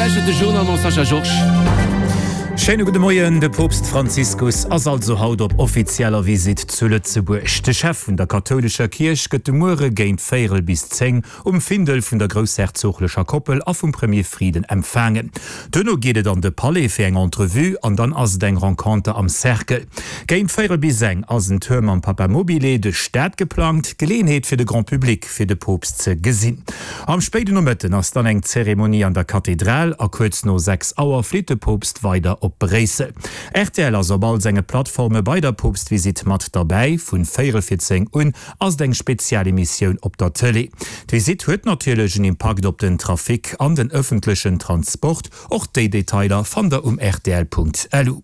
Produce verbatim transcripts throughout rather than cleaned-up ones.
lauschtert de Journal mam Sascha Georges. Schéine gudde Moien, De Poopst Franziskus ass also haut op offizieller Visitt zu Lëtzebuerg. De Chef vun der kathoulescher Kierch gëtt de Muere géint véierel bis zéng um Findel vun der groussherzoglecher Koppel a vum Premier Frieden empfaangen. Duerno geet et an de Palais fir eng Entrevue an dann ass et eng Renconter am Cercle. Géint véierel bis eng ass en Tour mam Papamobile duerch d'Stad geplangt, Geleeënheet fir de Grand Public fir de Poopst ze gesinn. Am spéiden Nomëtten ass dann eng Zeremonie an der Kathedral a kuerz no sechs Auer flitt de Poopst weider op Bréissel. Rtl ass op all senge Plattforme bei der Poopstvisitt mat derbäi. Vun véierel vir zéng un ass et eng Spezialemissioun op der Tëlee. D'Visitt huet natierlech en Impakt op den Trafic an den ëffentlechen Transport. Och déi Detailer fannt der um rtl.lu.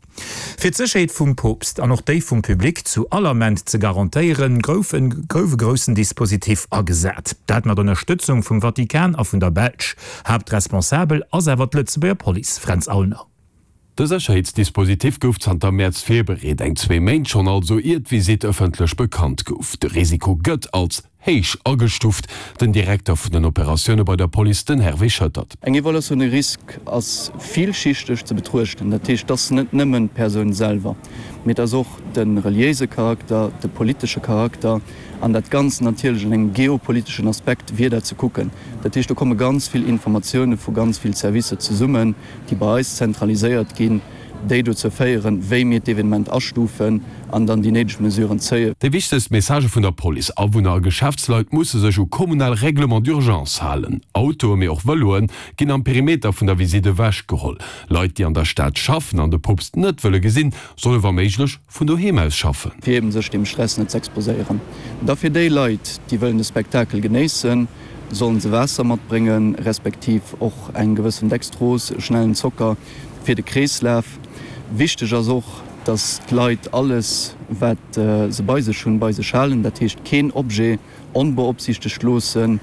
Fir d'Sécherheet vum Poopst an och déi vum Public zu all Ament ze garantéieren, gouf e gouf e groussen Dispositif agesat. Dat mat Ënnerstëtzung vum Vatikan a vun der Belsch. Haaptresponsabel ass awer d'Lëtzebuerger Police, Fränz Aulner. De Sécherheetsdispositif gouf zanter Mäerz virbereet, eng zwee Méint schonn also, ier d'Visitt ëffentlech bekannt gouf. De Risiko gëtt als héich agestuuft. Den Direkter vun den Operatioune bei der Police, den Hervé Schoettert. Eng Evaluatioun de risque ass villschichteg ze betruechten. Dat heescht, et ass net nëmmen d'Persoun selwer, mee et ass och de reliéise Charakter, de politesche Charakter an dat Ganzt natierlech an engem geopoliteschen Aspekt wier dat ze kucken. Dat heescht, do komme ganz vill Informatioune vu ganz vill Servicer zesummen, déi bei eis zentraliséiert ginn, déi dozou féieren, wéi mir d'Evenement astufen an dann déi néideg Mesuren zéien. Déi wichtegst Messagë vun der Police, Awunner a Geschäftsleit musse sech u kommunal Règlements d'urgence halen. Autoe mee och Vëloe ginn am Perimeter vun der Visitt ewech geholl. Leit, déi an der Stad schaffen an de Poopst net wëlle gesinn, solle wa méiglech vun doheem aus schaffen. Fir eben sech deem Stress net z'exposéieren. Da fir déi Leit, déi wëllen de Spektakel genéissen, sollen se Waasser matbréngen, respektiv och eng gewëssen Dextrose, schnellen Zocker, fir de Kreeslaf. Wichteg ass och, dass d'Leit alles, wat se bei sech hunn, bei sech halen, dat heescht keen Objet onbeopsiichtegt loossen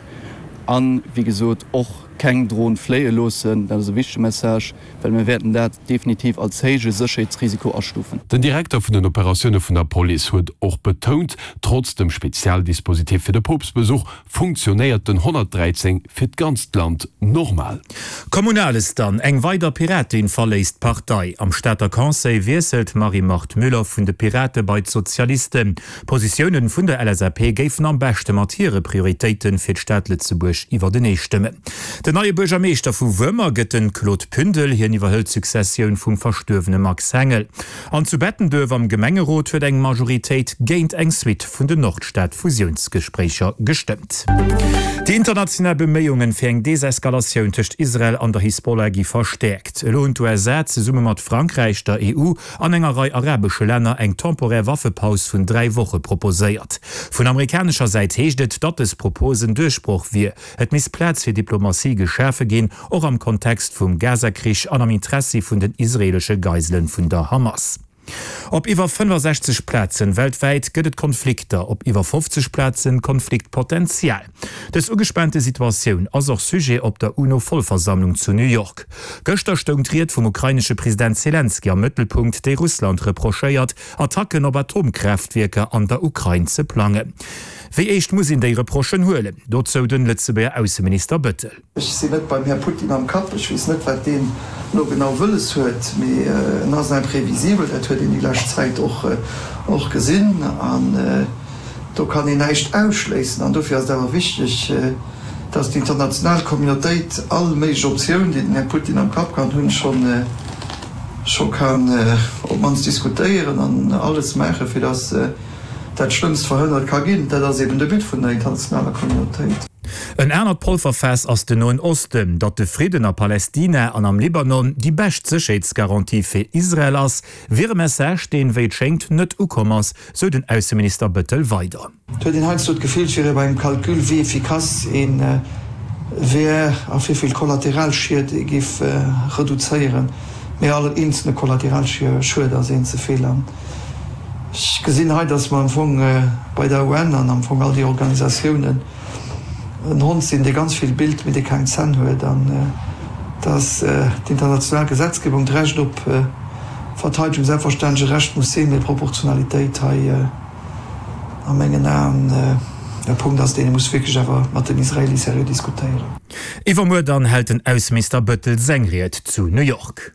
an, wéi gesot, och keng Dron fléie loossen. Dat ass e wichtege Message, well mir wäerten dat definitiv als héije Sécherheetsrisiko astufen. Den Direkter vun den Operatioune vun der Police huet och betount, trotz dem Spezialdispositif fir de Poopstbesuch funktionéiert den honnertdräizéng fir d'ganzt Land normal. Kommunales dann, Eng weider Piratin verléisst d'Partei. Am Stater Conseil wiesselt d'Marie-Marthe Müller vun de Pirate bei d'Sozialisten. D'Positiounen vun der L S A P géifen am beschte mat hire Prioritéite fir d'Stad Lëtzebuerg iwwertenee stëmmen. Den neie Buergermeeschter vu Wuermer gëtt de Claude Pündel. Hien iwwerhëlt d'Successioun vum verstuerwene Max Hengel. An zu Bettenduerf am Gemengerot huet eng Majoritéit géint eng Suite vun den Nordstad-Fusiounsgespréicher gestëmmt. Déi international Beméiungen fir eng Deseskalatioun tëscht Israel an der Hisbollah gi verstäerkt. Elo hunn d'U S A zesumme mat Frankräich, der E U an enger Rei arabesche Länner eng temporär Waffepaus vun dräi Woche proposéiert. Vun amerikanescher Säit heescht et, datt dës Propos en Duerchbroch wier. Et misst Plaz fir Diplomatie geschafe ginn, och am Kontext vum Gaza-Krich an am Interessi vun den israeelesche Geisele vun der Hamas. Op iwwer fënnefasechzeg Plazen weltwäit gëtt et Konflikter, op iwwer fofzeg Plazen Konfliktpotenzial. Dës ugespaante Situatioun ass och Sujet op der UNO-Vollversammlung zu New York. Gëschter stoung d'Ried vum ukrainesche President Selenskyj am Mëttelpunkt, déi Russland reprochéiert, Attacken op Atomkraaftwierker an der Ukrain ze plangen. Wéi eescht muss een déi Reprochen huelen? Dozou den Lëtzebuerger Ausseminister Bëttel. Ech sinn net beim Här Putin am Kapp, ech weess net, wat deen elo genau wëlles huet, mee en ass imprévisibel, dat huet een déi lescht Zäit och gesinn an do kann een näischt ausschléissen. An dofir ass et awer wichteg, datt déi international Communautéit all méiglech Optioun, déi den Här Putin am Kapp kann hunn, scho kann op d'mannst diskutéieren an alles maachen, fir datt dat Schlëmmst verhënnert ka ginn. Dat ass eben de But vun der internationaler Communautéit. En anert Polverfaass ass den Noen Osten. Datt de Fridden a Palästina an am Libanon déi bescht Sécherheetsgarantie fir Israel ass, wier e Message, deen, wéi et schéngt, net ukomm ass, sou den Ausseminister Bëttel weider. Et huet een heiansdo d'Gefill, et wier ee bei engem Calcul, wéi efficace ee wär a wéi vill Kollateralschied ee géif reduzéieren. Mee all eenzelne Kollateralschued ass een ze vill. An ech gesinn hei, dass mer am Fong bei der U N an am Fong all déi Organisatiounen en Hond sinn, dee ganz vill billt, mee dee keng Zänn huet, an dass d'international Gesetzgebung, d'Recht op Verteidegung selbstverständlech e Recht muss sinn, mee d'Proportionalitéit hei a mengen Aen e Punkt ass, deen ee muss wierklech awer mat den Israelie seriö diskutéieren. Iwwermuer dann hält den Ausseminister Bëttel seng Ried zu New York.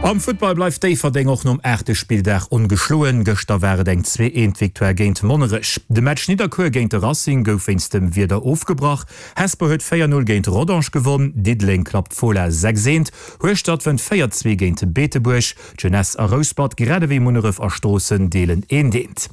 Am Futtball bleift Déifferdeng och nom aachte Spilldag ongeschloen. Gëschter war et eng zwee eent Victoire géint Monnerech. De Match Nidderkuer géint de Racing gouf wéinst dem Wieder ofgebrach. Hesper huet véier Null géint Rodange gewonn, Diddeleng klappt Fola sechs eent, Hueschtert wënnt véier zwee géint Beetebuerg. D'Jeunesse a Rouspert grad ewéi Munneref a Stroossen deelen eent eent.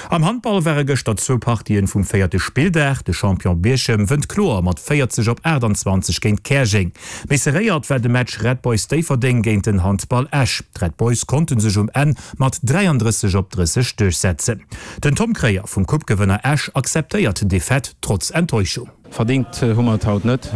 Am Handball ware gëschter zwou Partien vum véierte Spilldag. De Champion Bierchem wënnt kloer mat véierzeg op aachtanzwanzeg géint Käerjeng. Méi serréiert war de Match Red Boys Déifferdeng géint den Handball Esch. D'Red Boys konnte sech um Enn mat dräiandrësseg op drësseg duerchsetzen. Den Tom Kreyer vum Coupe-Gewënner Esch akzeptéiert d'Defaite trotz Enttäuschung. Verdingt hu mer et haut net.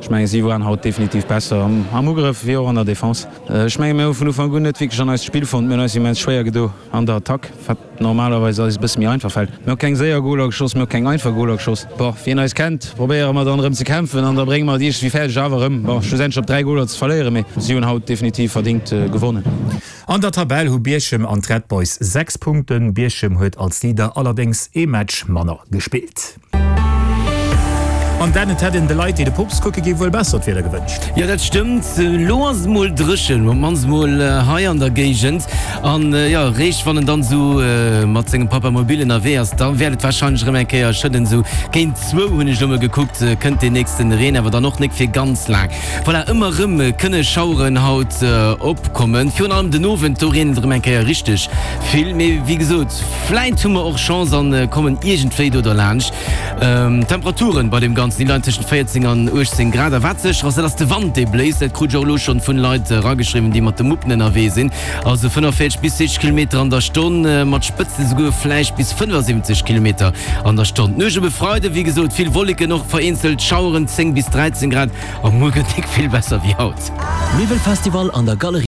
Ech mengen, si waren haut definitiv besser am Ugrëff wéi och an der Defense. Ech mengen, mir hu vun Ufank un net wierklech an eist Spill fonnt. Mir hunn eis immens schwéier gedo an der Attack, wat normalerweis eis e bësse méi einfach fält. Mir hu keng séier Goler geschoss, mir hu keng einfach Goler geschoss. Bon, wien eis kennt, probéiere mer dann erëm ze kämpfen an da brénge mer et iergendwéi fäerdeg awer erëm, bon, schlussendlech op dräi Goler ze verléieren. Mee si hunn haut definitiv verdingt gewonnen. An der Tabell hu Bierchem an d'Red Boys sechs Punkten. Bierchem huet als Leader allerdéngs ee Match manner gespillt. An Dan, et hätt een de Leit, déi de Poopst kucke gi wuel besser d'Wieder gewënscht. Jo, dat stëmmt. Elo ass et mol dréchen, op d'mannst mol hei an der Géigend. An jo, réischt wann en dann esou mat sengem Papamobil ënnerwee ass, da wäert et warscheinlech erëm eng Kéier schëdden. Esou géint zwou hunn ech elo mol gekuckt, kënnt deen nächsten Reen, awer dann och nik fir ganz laang. Voilà, ëmmer erëm kënne Schaueren haut opkommen, virun allem den Owend, do reent et erëm eng Kéier richteg vill. Mee wéi gesot, vläit hu mer och Chance an kommen iergendwéi do derlaanscht. D'Temperaturen bei dem Ganzen, déi leien tëschent véierzéng an uechtzéng Grad. A wat sécher ass, dat ass de Wand, dee bléist. Dat krut ech och elo schonn vun Leit erageschriwwen, déi mat de Muppen ënnerwee sinn. Also fënnefenvéierzeg bis siwwzeg Kilometer an der Stonn, mat Spëtzen esouguer vläicht bis fënnefasiwwenzeg Kilometer an der Stonn. D'Nuecht op e Freide, wéi gesot, vill Wolleken, och vereenzelt Schaueren, zéng bis dräizéng Grad. A muer gëtt nik vill besser wéi haut. Miwwelfestival an der Galerie.